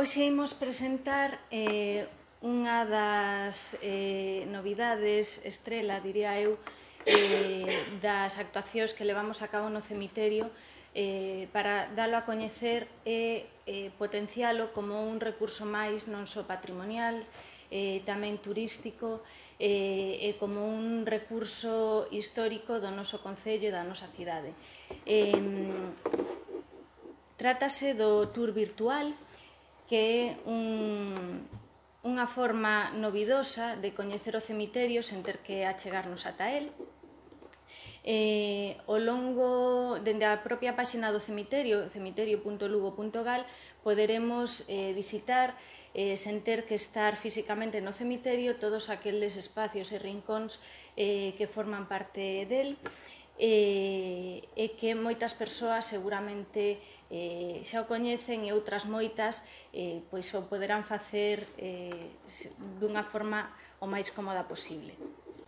Hoxe imos presentar unha das novidades estrela, diría eu, das actuacións que levamos a cabo no cemiterio para dalo a coñecer e potencialo como un recurso máis non só patrimonial, tamén turístico e como un recurso histórico do noso concello e da nosa cidade. Trátase do tour virtual, que é unha forma novidosa de coñecer o cemiterio sen ter que achegarnos ata el. Ao longo, dende a propia páxina do cemiterio, cemiterio.lugo.gal, poderemos visitar sen ter que estar físicamente no cemiterio todos aqueles espacios e rincóns que forman parte del e que moitas persoas seguramente xa o coñecen e outras moitas pois o poderán facer dunha forma o máis cómoda posible.